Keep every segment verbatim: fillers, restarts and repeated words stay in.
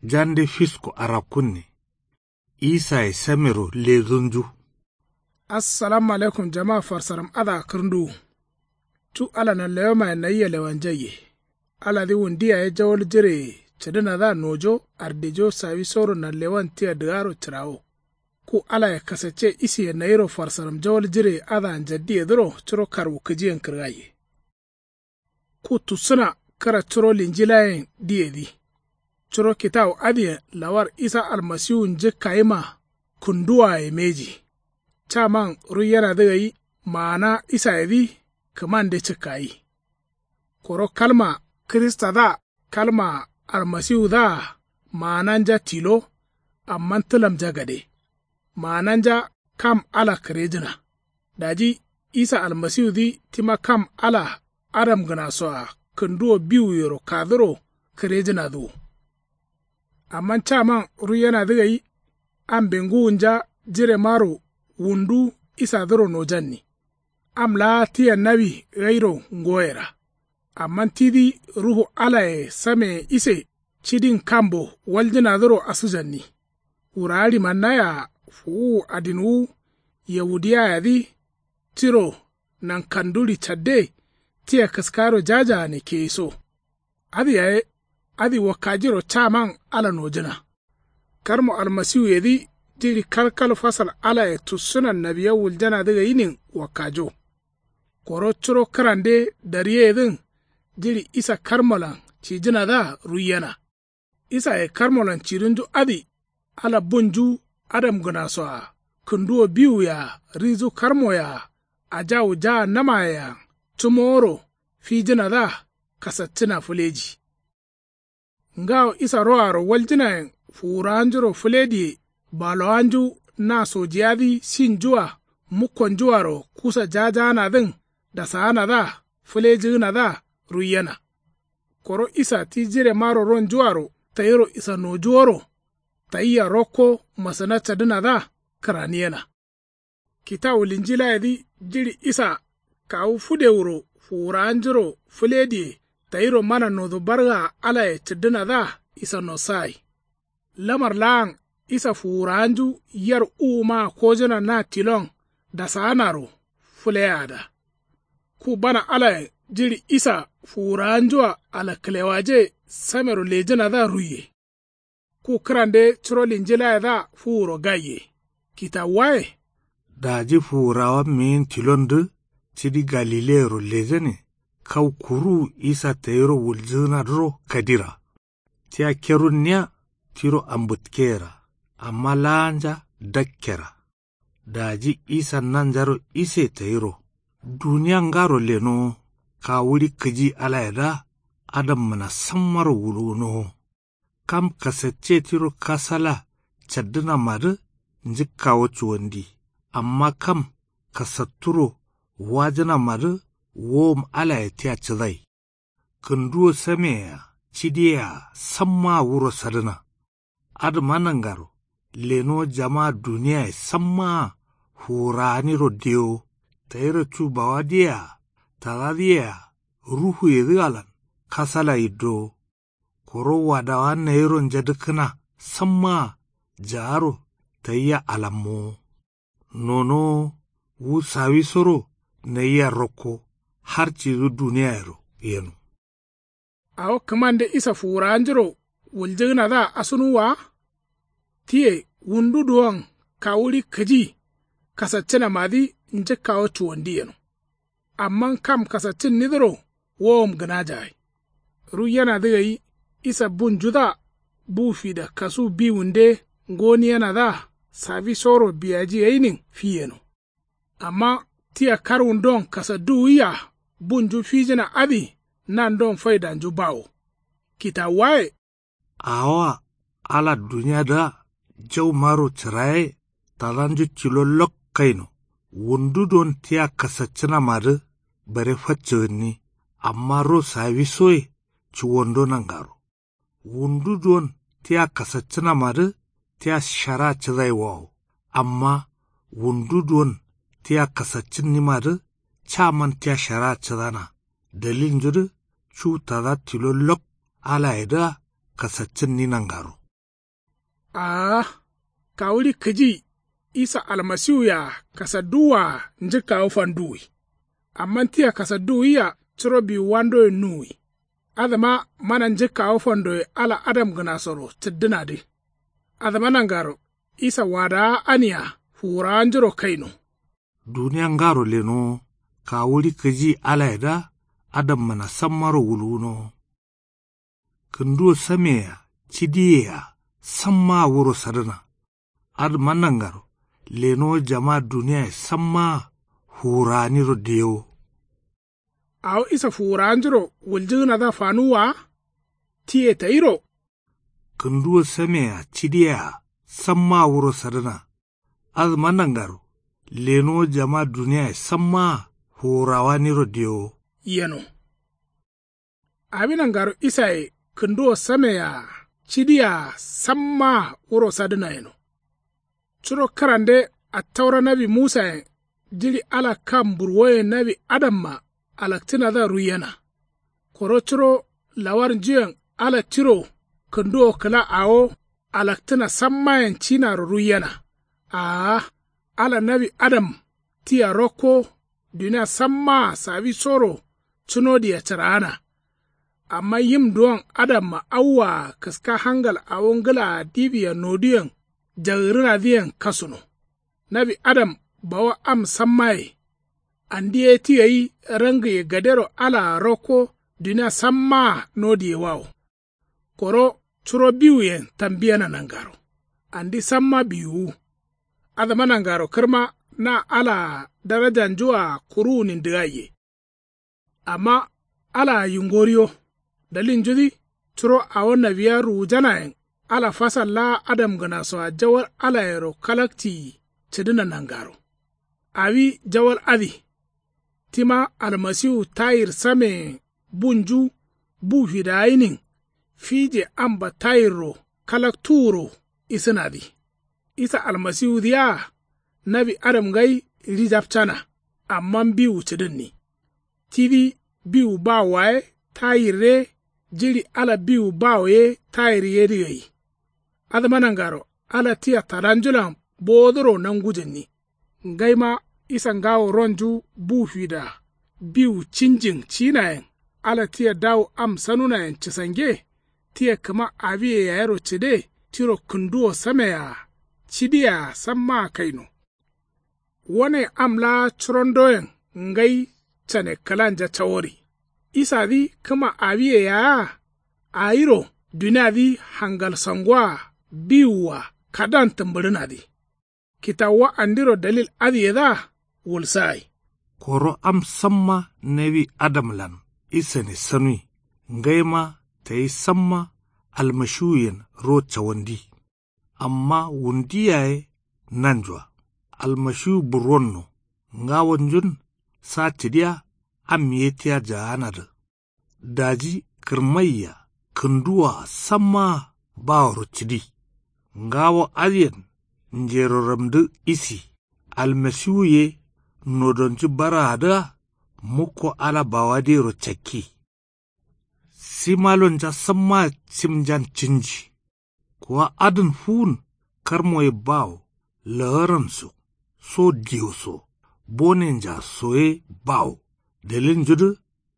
Jande fisko arakkunne. Isaye samero lezǝnju. Assalamu alaikum jama farsaram adǝa kǝrnduwu. Cu ala nanlewemaye nayia lewanjaiye. Aladǝ wundu yaye jawal jireye cǝdǝnadǝa nojo ardejo sawisoro nanlewan tia dǝgaro cǝrawo. Ku alaye kasacce isiye nayiro farsaram jawal jireye adǝa njaddiyedǝro curo karwukǝjiyen kǝrgaiye. Ku tussǝna kǝra curo linjilayen diyedǝ. Curo kitawu adǝyen lawar isa almasiwu njǝkkayima kǝnduwaye mbeji. Caman ruiyenadǝ gai maana isayedǝ kǝmande cǝkkayi. Koro kalma kiristadǝa kalma almasiwudǝa maananja tilo. Amma tǝlamja gade maananja kam ala kǝrejǝna. Daji isa almasiwudǝ tima kam ala adamgǝnasoa kǝnduwo biwuyero kaduro kǝrejǝnadǝ wo. Amma caman ruiyenadǝ gai ambe ngǝwunja jiremaro wundu isadǝro nojanni. Am laa tia nawi gairo ngoyera. Amma tidǝ ruhu alaye sameye ise cidin kambo waljǝnadǝro asǝjanni. Wurawa ɍimannaya fuwuwu adinwu yawudiyayedǝ tiro nankanduɍi cadde tia kǝskaro jajaane keyiso. Adǝ yaye adǝ wakkajiro caman ala nojǝna. Karmo almasiwuyedǝ jiɍi kalkal fasal alaye tussǝnan nawiya wuljanadǝ gainin wakkajo. Koro curo kǝrande daryeyedǝn jiɍi isa karmolan cijǝnadǝa ruiyena. Isaye karmolan cidunju adǝ ala bunju adamgǝnasoa kǝnduwo biwuyea rizu karmoyea ajawu jahannamayeyean cǝmoworo fijǝnadǝa kasaccǝna fǝleji. Ngawo isa roaro waljǝnayen fuwurawanjuro fǝlediye balowanju na sojiyadǝ sinjua mukkonjuaro kusa jajaanadǝn dasaanadǝa fǝlejǝgǝnadǝa ruiyena. Koro isa ti jiremaro ronjuaro tayiro isanoju woro tayia rokko masǝna cadǝnadǝa kǝraniyena. Kitawu linjilayedǝ jiɍi isa kawu fǝdewuro fuwurawanjuro fǝlediye tayiro mana nodo bargaa alaye cǝddǝnadǝa isanosagai. Lamar laan isa fuwurawanju yar uwumaa kojǝna na tilon dasaanaro fǝleyaada. Ku bana alayen jiɍi isa fuwurawanjua alakǝlewaje samero lejǝnadǝa ruiye. Ku kǝrande curo linjilayedǝa fuwuro gaiye kitawuwaye. Daji fuwurawa miyin tilondǝ cidi galileyero lejane kau kuruwu isa tayiro wuljǝgǝnadǝro kadira. Tia kerunniya tiro ambǝtkeyera amma laanja dakkera. Daji isa nanjaro ise tayiro duniya ngaro lenowo kawuɍi kǝji alayedǝa adammǝna sammaro wulgǝnowo. Kam kasacce tiro kasala caddǝnamadǝ njǝkkawo cuwandi. Amma kam kasatturo wajǝnamadǝ wowom alaye tia cǝdai. Kǝnduwo sameyea cidiyea sammaa wuro sadǝna. Adǝma nangaro lenowo jamaa duniyaye sammaa fuwurawaniro dewo tayiro cu bawadǝyea tadadǝyea ruhuyedǝalan kasala yiddowo. Koro wadawa nayiro njadǝkkǝna sammaa jaaro tayia alammowo. Nonowo wu sawisoro nayia rokko har cidǝ duniyayero yeno. Awo kǝmande isa fuwurawanjuro wuljǝgǝnadǝa asunuwwa wa. Tiye wundu duwon kawuɍi kǝji kasaccǝnamadǝ njǝkkawo cuwandi yeno. Amma kam kasaccǝnnidǝro wowom gǝnajagai. Ruiyenadǝ gai isa bunjudǝa bu fida kasu biwunde ngoniyenadǝa sawisoro biyaji gainin fiyeno. Amma tia karwundon kasadduwuyia bunju fijǝna adǝ nandon faidanju bawo. Kitawuwaye. Awoa ala duniyadǝa jaumaro cǝraye tadanju tilo lok kaino. Wundu don tia kasaccǝnamadǝ bare faccǝgǝnni. Amma ro sawisoye cuwondo nangaro. Wundu duwon tia kasaccǝnamadǝ tia shara cǝdaiwawo. Amma wundu duwon tia kasaccǝnnimadǝ caman tia shara cǝdana. Daliljudǝ cu tada tilo lok alayedǝa kasaccǝnni nangaro. Aa, kawuɍi kǝji isa almasiwuyea kasadduwwaa njǝkkawo fanduwwi. Amma tia kasadduwwia curo biwuwandoyen nuwwi. Adǝma mana njǝkkawo fandoye ala adamgǝnasoro cǝddǝnadǝ. Adǝma nangaro isa wadawa ania fuwurawanjuro kaino. Duniya ngaro lenowo kawuɍi kǝji alayedǝa adammana sammaro wulwunowo. Kǝnduwo sameyea cidiyeyea sammaa wuro sadǝna. Adǝma nangaro lenowo jama duniyaye sammaa fuwurawaniro diyewo. Awo isa fuwurawanjuro wuljǝgǝnadǝa fanuwwa wa? Tiye tayiro. Kǝnduwo sameyea cidiyeyea sammaa wuro sadǝna. Adǝma nangaro lenowo jama duniyaye sammaa fuwurawaniro diyewo. Yeno. Awi nangaro isaye kǝnduwo sameyea cidiyeyea sammaa wuro sadǝna yeno. Curo kǝrande attaura nawi musayen jiɍi ala kam burwoye nawi adamma alakcǝnadǝa ruiyena. Koro curo lawarnjuyen ala tiro kǝnduwo kǝla awo alakcǝna sammayen cinaro ruiyena. Aa, ala nawi adam tia rokko duniya sammaa sawisoro cunodiya cǝraana. Amma yim duwon adamma awwaa kǝska hangal awo ngǝlaa diwia noduyen jagǝrǝnadǝyen kasuno. Nawi adam bawa am sammaye. Andi ye ti gai rangǝye gadero alaa rokko duniya sammaa nodiyewawo. Koro curo biwuyen tambiyena nangaro andi samma biwuwu. Adǝma nangaro kǝrma na alaa darajanjua kuruwunindǝgaiye. Amma alaa yingoriyo. Dalilnjudǝ curo awo nawiya ruwujanayen ala fasal laa adamgǝnasoa jawal alayero kalakciyi cǝdǝna nangaro. Awi jawal adǝ. Tima almasiwu tayir sameyen bunju bu fidagayinin fije amba tayirro kalaktuwuro isǝnadǝ. Isa almasiwudǝ yea nawi adam ngai rijapcana. Amma biwu cǝdǝnni. Tidǝ biwu bawoa ye tayir ye jiɍi ala biwu bawo ye tayir yedǝ gai. Adǝma nangaro ala tia tadanjulan bowodǝro nangujǝnni. Ngaima isa ngawo ronju bu fida biwu cinjin cinayen ala tia dawu am sanunayen cǝsange. Tia kǝma awiye yayero cǝde tiro kǝnduwo sameyea cidiyea sammaa kaino. Wane am laa curondoyen ngai cane kǝlanja cawori. Isadǝ kǝma awiye yayea awiro duniadǝ hangalsangoa biwua kadan tǝmbǝɍǝnadǝ. Kitawuwa andiro dalil adǝyedǝa wulsagai. Koro am samma nawi adamlan isane sanui ngaima tayi samma almashiwuyen ro cawandi. Amma wundi yaye nanjua almashiwu burwonno ngawonjun sa cǝdiya am ye tia jaanadǝ. Daji kǝrmaiya kǝnduwoa sammaa baworo cǝdi. Ngawo adǝyen njeroramdǝ isi almasiwu ye nodonju baraadǝa mukko ala bawadǝyero cakki. Simalonja sammaa cimjan cǝnji. Kuwa adǝn fuwun karmo ye bawo lagaranso so diyo so bonenja so ye bawo. Dalilnjudǝ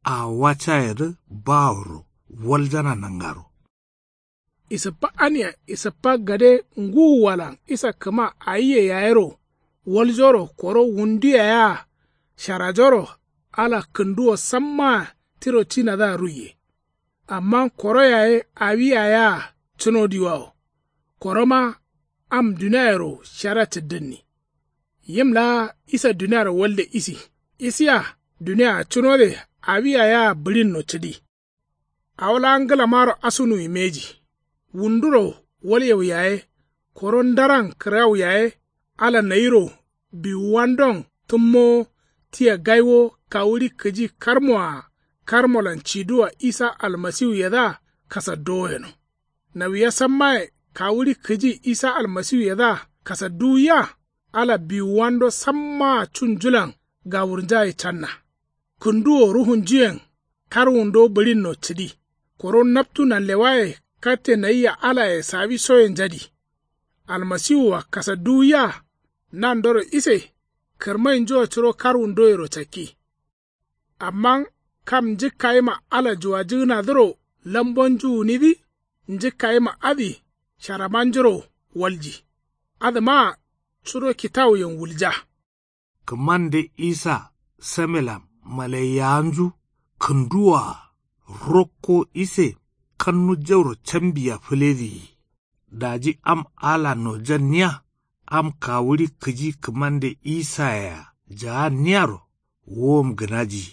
awowa cayedǝ baworo waljana nangaro. Isǝppa ania isǝppa gade ngǝwuwalan isa kǝma awiye yayero waljoro koro wundu yayea sharajoro ala kǝnduwo sammaa tiro cinadǝa ruiye. Amma koro yaye awi yayea cunodiwawo. Koroma am duniayero shara cǝddǝnni. Yim laa isa duniaro walde isi isiya duniaa cunode awi yayea bǝɍinno cǝdi. Awo laa ngǝlamaro asunuwi mbeji. Wunduro walyau yaye koro ndaran kǝrgau yaye ala nayiro biwuwandon tǝmmowo tia gaiwo kawuɍi kǝji karmoa karmolan ciduwa isa almasiwuyedǝa kasaddowo yeno. Nawiya sammaye kawuɍi kǝji isa almasiwuyedǝa kasadduwwiya ala biwuwando sammaa cunjulan gawurnjaye canna. Kǝnduwo ruhunjuyen karwundo bǝɍinno cǝdi. Koro naptu nanlewaye katte nayia alaye sawisoyenjadi. Almasiwua kasadduwiya. Nandoro ise kǝrmainjua curo karwundoyero cakki. Amma kam njǝkkayima ala juwajǝgǝnadǝro lambonju gǝnidǝ. Njǝkkayima adǝ sharamanjuro walji. Adǝmaa curo kitawuyen wulja. Kǝmande isa samelan malaiyawanju kǝnduwoa rokko ise kannu jauro cambiya fǝledǝ yi. Daji am ala nojanniya am kawuɍi kǝji kǝmande isayea jaanniyaro wowom gǝnaji.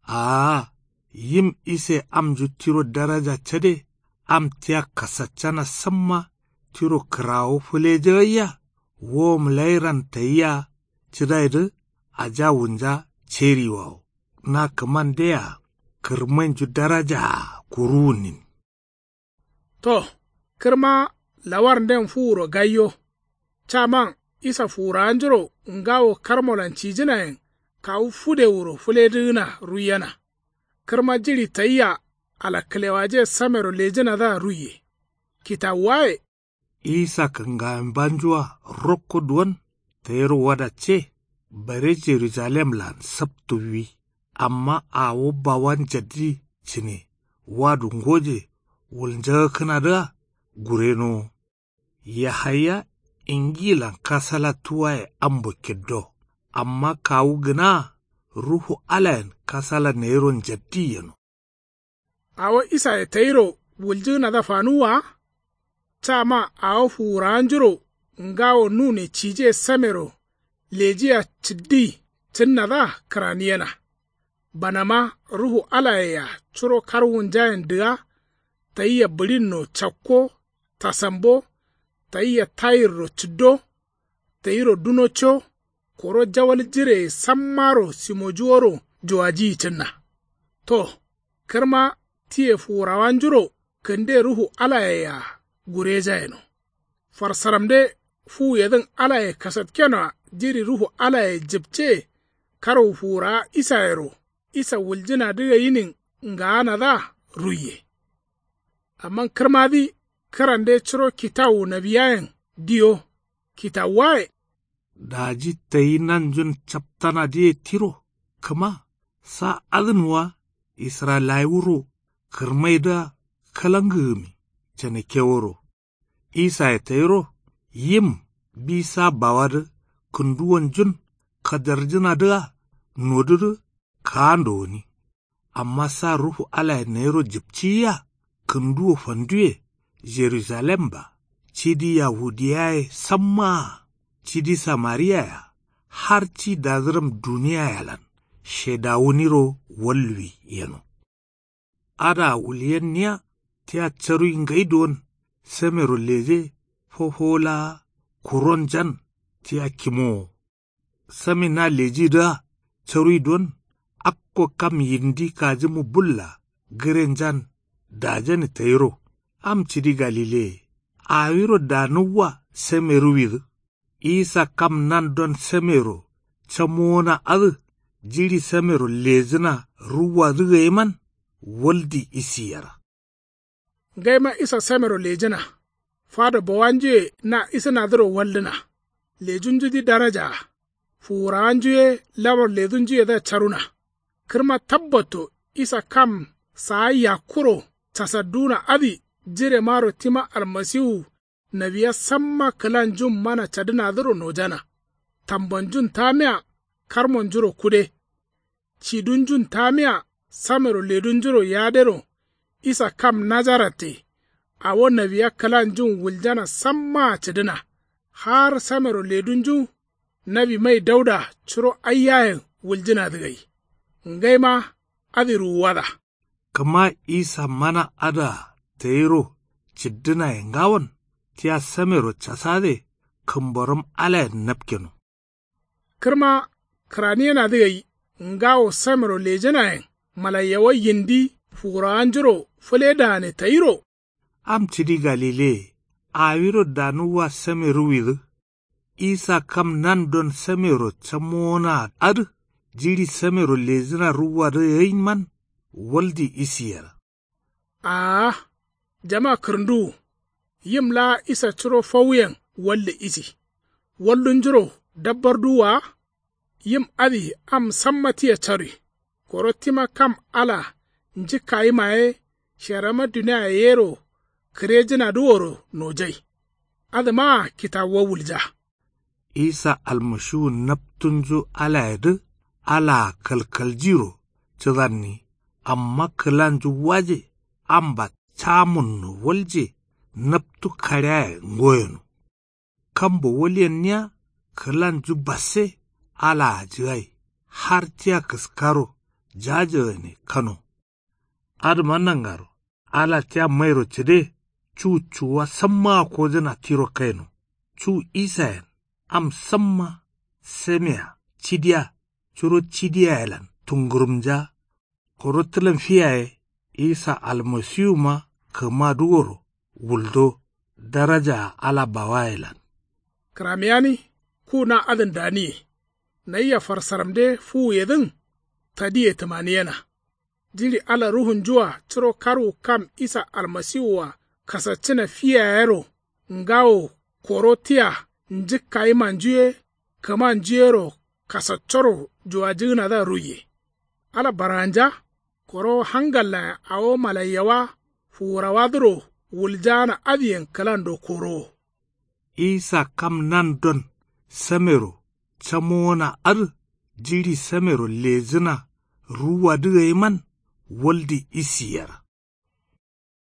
Aa yim ise amnju tiro daraja cade am tia kasaccana samma tiro kǝrawo fǝlejagaiya wowom lairan tayia cǝdaidǝ. Ajawunja ceriwawo na kǝmandeyea kǝrmainju darajaa kuruwunin. To kǝrma lawarnden fuwuro gaiyo. Caman isa fuwurawanjuro ngawo karmolan cijǝnayen kawu fudewuro fǝledǝgǝna ruiyena. Kǝrma jiɍi tayia alakkǝlewaje samero lejǝnadǝa ruiye. Kitawuwaye. Isa kǝngawembanjua rokko duwon tayiro wadacce. Bare jerujalemlan saptuwwi. Amma awo bawan jaddi cǝne wadu ngoje wulnjagakkǝnadǝa gurenowo. Yahaya ingilan kasala tuwaye ambo kiddo. Amma kawu gǝnaa ruhu alayen kasala nayiro njaddi yeno. Awo isaye tayiro wuljǝgǝnadǝa fanuwwa wa. Cama awo fuwurawanjuro ngawo nune cije samero lejia cǝddi cǝnnadǝa kǝraniyena. Banama ruhu alayea curo karwunjayen dǝga. Tayia bǝɍinno cakko tasambo. Tayia tayirro cǝddo. Tayiro duno co. Koro jawal jireye sammaro simojuworo juwajiyi cǝnna. To kǝrma tiye fuwurawanjuro kǝnde ruhu alayeyea gurejayeno. Farsaramde fuwuyedǝn alaye kasatkenoa jiɍi ruhu alaye jǝpce. Karwu fuwurawa isayero isa wuljǝnadǝ gainin ngaanadǝa ruiye. Amma kǝrmadǝ kǝrande curo kitawu nawiyayen diyo. Kitawuwaye. Daji tayi nanjun captanadǝye tiro kǝma sa adǝn wa israyilawuro kǝrmaidǝa kalangǝgǝmi canekeworo. Isaye tayiro yim bi sa bawadǝ kǝnduwonjun kadarjǝnadǝa nodudǝ kaando gǝni. Amma sa ruhu alaye nayiro jǝpciyia kǝnduwo fanduwe jerujalemba cidi yahudiyaye sammaa cidi samariyaya har ci dadǝram duniyayalan shedawuniro walluwi yeno. Adǝa wulyenniya tia caruwi ngai duwon samero leje fofowo laa kuronjan tia kimowo. Same na lejidǝa caruwi don akko kam yindi kajǝmu bulla gǝrenjan dajane tayiro. Am cidi galileye awiro danuwwa same ruwidǝ. Isa kam nandon samero camowona adǝ jiɍi samero lejǝna ruwwadǝ gaiman waldi isi yera. Ngaima isa samero lejǝna fado bawanjuye na isǝnadǝro waldǝna. Lejunjudǝ darajaa fuwurawanju ye lamar ledunjuyedǝa caruna. Kǝrma tabbatto isa kam saa yakkuro casadduwuna adǝ jiremaro tima almasiwu nawiya samma kǝlanjun mana cadǝnadǝro nojana. Tambanjun tamiya karmonjuro kude. Cidunjun tamiya samero ledunjuro yadero isa kam najaratte. Awo nawiya kǝlanjun wuljana sammaa cǝdǝna har samero ledunju nawi mai dauda curo aiyayen wuljǝnadǝ gai. Ngaima adǝ ruwuwada. Kǝma isa mana adǝa tayiro cǝddǝnaye ngawon tia samero casade kǝmboram alayen napkeno. Kǝrma kǝraniyenadǝ gai ngawo samero lejǝnayen malaiyawa yindi fuwurawanjuro fǝledane tayiro. Am cidi galileye awiro danuwwa same ruwidǝ. Isa kam nandon samero camowona adǝ jiɍi samero lejǝna ruwwadǝ gainman waldi isi yera. Aa jama kǝrǝnduwu. Yim laa isa curo fowuyen walde isi. Waldunjuro dabbarduwwa wa? Yim adǝ am samma tia carui. Koro tima kam ala njǝkkayima ye sherama duniaye yero kǝrejǝnadǝ woro nojai. Adǝmaa kitawuwa wulja. Isa almashiwu naptunju alayedǝ alaa kalkaljiro cǝdanni. Amma kǝlanju waje amba camunno walje naptu kaɍiaye ngoyeno. Kambo walyenniya kǝlanju basse alaa jǝgai har tia kǝskaro jajagane kano. Adǝma nangaro ala tia mairo cǝde cu cuwa sammaa kojǝna tiro kaino. Cu isayen am samma samea cidiya curo cidiyayelan tungurumnja. Koro tǝlam fiyaye isa almasiwuma kǝmadǝ woro wuldo darajaa ala bawayelan. Kǝramiyani ku na adǝn daniye. Nayia farsaramde fuwuyedǝn tadiye tǝmaniyena. Jiɍi ala ruhunjua curo karwu kam isa almasiwua kasaccǝna fiyayero ngawo koro tia njǝkkayimanju ye kǝmanju yero kasaccoro juwajǝgǝnadǝa ruiye. Ala barganja koro hangallayen awo malaiyawa fuwurawadǝro wuljaana adǝyen kǝlando korowo. Isa kam nandon samero camowona adǝ jiɍi samero lejǝna ruwwadǝ gaiman waldi isi yera.